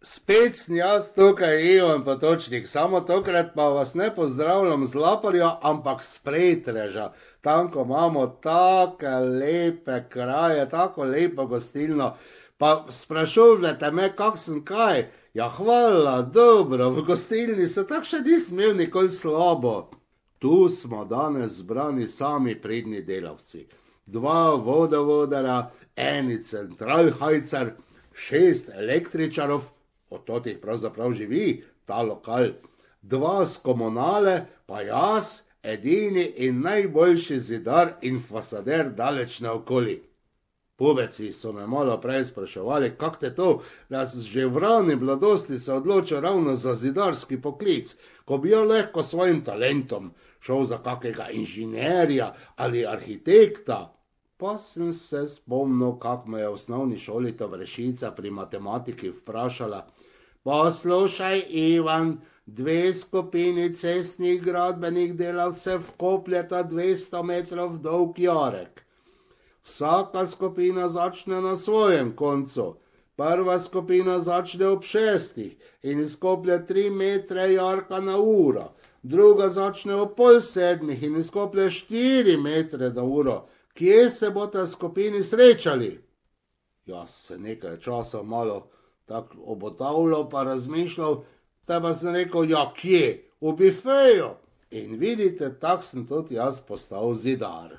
Spet sem jaz tukaj, Ivan Potočnik, samo tokrat pa vas ne pozdravljam z Laporja, ampak s Pretreža. Tam, ko imamo tako lepe kraje, tako lepo gostilno. Pa sprašujete me, kak sem kaj? Ja, hvala, dobro, v gostilni se tako še nisem imel nikoli slabo. Tu smo danes zbrani sami pridni delavci. Dva vodovodara, eni centralhajcer, 6 električarov, od totih pravzaprav živi ta lokal, 2 z komunale, pa jaz, edini in najboljši zidar in fasader daleč naokoli. Pubeci so me malo prej spraševali, kak te to, da si že v rani mladosti se odločil ravno za zidarski poklic, ko bi jo lahko svojim talentom šel za kakega inženirja ali arhitekta. Pa sem se spomnil, kak me je v osnovni šoli ta Vrešica pri matematiki vprašala: poslušaj, Ivan, 2 skupini cestnih gradbenih delavcev kopljeta 200 metrov dolg jarek. Vsaka skupina začne na svojem koncu. Prva skupina začne ob 6 in izkoplje 3 metre jarka na uro. Druga začne ob pol 7 in izkoplje 4 metre na uro. Kje se boste skupini srečali? Jaz se nekaj časa malo tako obotavljal pa razmišljal, te pa sem rekel, ja kje? V bifeju. In vidite, tak sem tudi jaz postal zidar.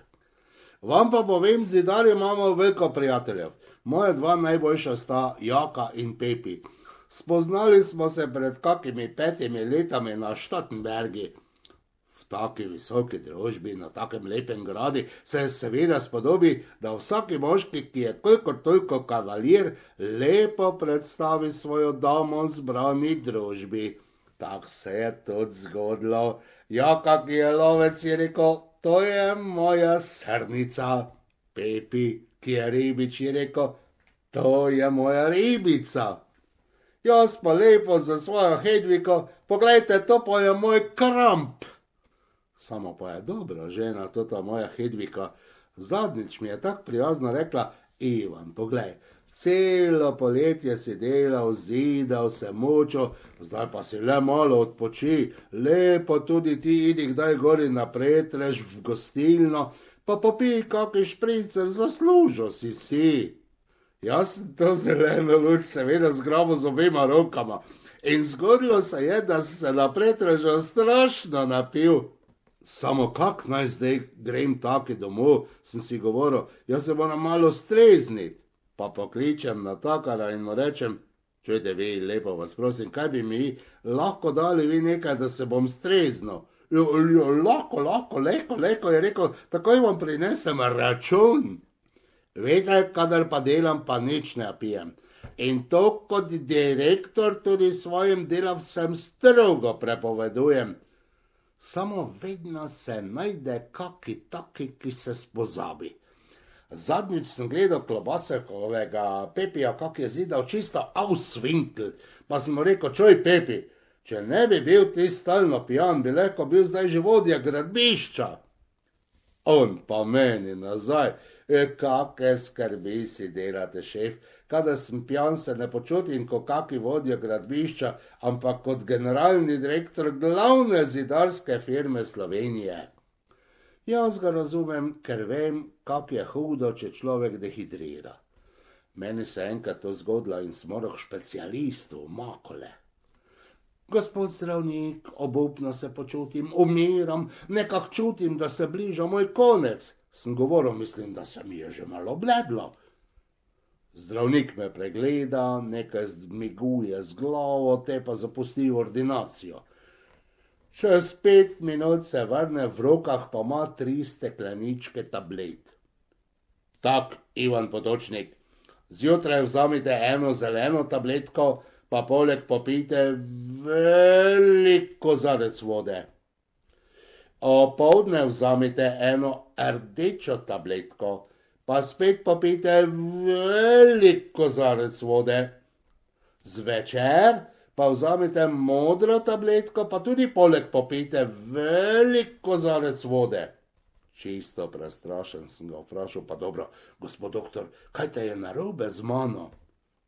Vam pa povem, zidarji imamo veliko prijateljev. Moje 2 najboljša sta Jaka in Pepi. Spoznali smo se pred kakimi 5 letami na Štatenbergi. V taki visoki družbi, na takem lepem gradu, se seveda spodobi, da vsaki moški, ki je kolikor toliko kavalir, lepo predstavi svojo damo zbrani družbi. Tak se je tudi zgodilo. Jaka, ki je lovec, je rekel, to je moja srnica. Pepi, ki je ribič, je rekel, to je moja ribica. Jaz pa lepo za svojo Hedviko, poglejte, to pa je moj kramp. Samo pa je dobra žena, tota moja Hedvika. Zadnjič mi je tako prijazno rekla, Ivan, poglej, celo poletje si delal, zidal, se mučil, zdaj pa si le malo odpoči, lepo tudi ti idi kdaj gori na Pretrež v gostilno, pa popij kaki špricer, zaslužil si. Jaz sem to zeleno luč seveda zgrabil z obema rokama in zgodilo se je, da sem se na Pretrežu strašno napil. Samo kak naj zdaj grem taki domov, sem si govoril, jaz se moram malo strezniti. Pa pokličem natakara in mu rečem, čujte vi, lepo vas prosim, kaj bi mi lahko dali vi nekaj, da se bom streznil. Lahko, je rekel, takoj vam prinesem račun. Veste, kadar pa delam, pa nič ne pijem. In to kot direktor tudi svojim delavcem strogo prepovedujem. Samo vedno se najde kaki taki, ki se spozabi. Zadnjič sem gledal Klobasekovega Pepija, kak je zidal čisto auswinkl, pa sem mu rekel, čuj Pepi, če ne bi bil ti stalno pijan, bi lahko bil zdaj že vodja gradbišča. On pa meni nazaj, kake skrbi si delate, šef, kadar sem pijan, se ne počutim kot kaki vodja gradbišča, ampak kot generalni direktor glavne zidarske firme Slovenije. Jaz ga razumem, ker vem, kak je hudo, če človek dehidrira. Meni se enkrat to zgodilo in sem moral k specialistu v Makole. Gospod zdravnik, obupno se počutim, umiram, nekak čutim, da se bliža moj konec. Sem govoril, mislim, da se mi je že malo bledlo. Zdravnik me pregleda, nekaj zmiguje z glavo, te pa zapusti ordinacijo. Čez 5 minut se vrne, v rokah pa ima 3 stekleničke tablet. Tak, Ivan Potočnik, zjutraj vzamite eno zeleno tabletko, pa poleg popijte velik kozarec vode. Opoldne vzamite eno rdečo tabletko, pa spet popijte velik kozarec vode. Zvečer pa vzamite modro tabletko, pa tudi poleg popijte velik kozarec vode. Čisto prestrašen sem ga vprašal, pa dobro, gospod doktor, kaj te je narobe z mano?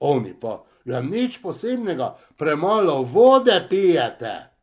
Oni pa, ja nič posebnega, premalo vode pijete.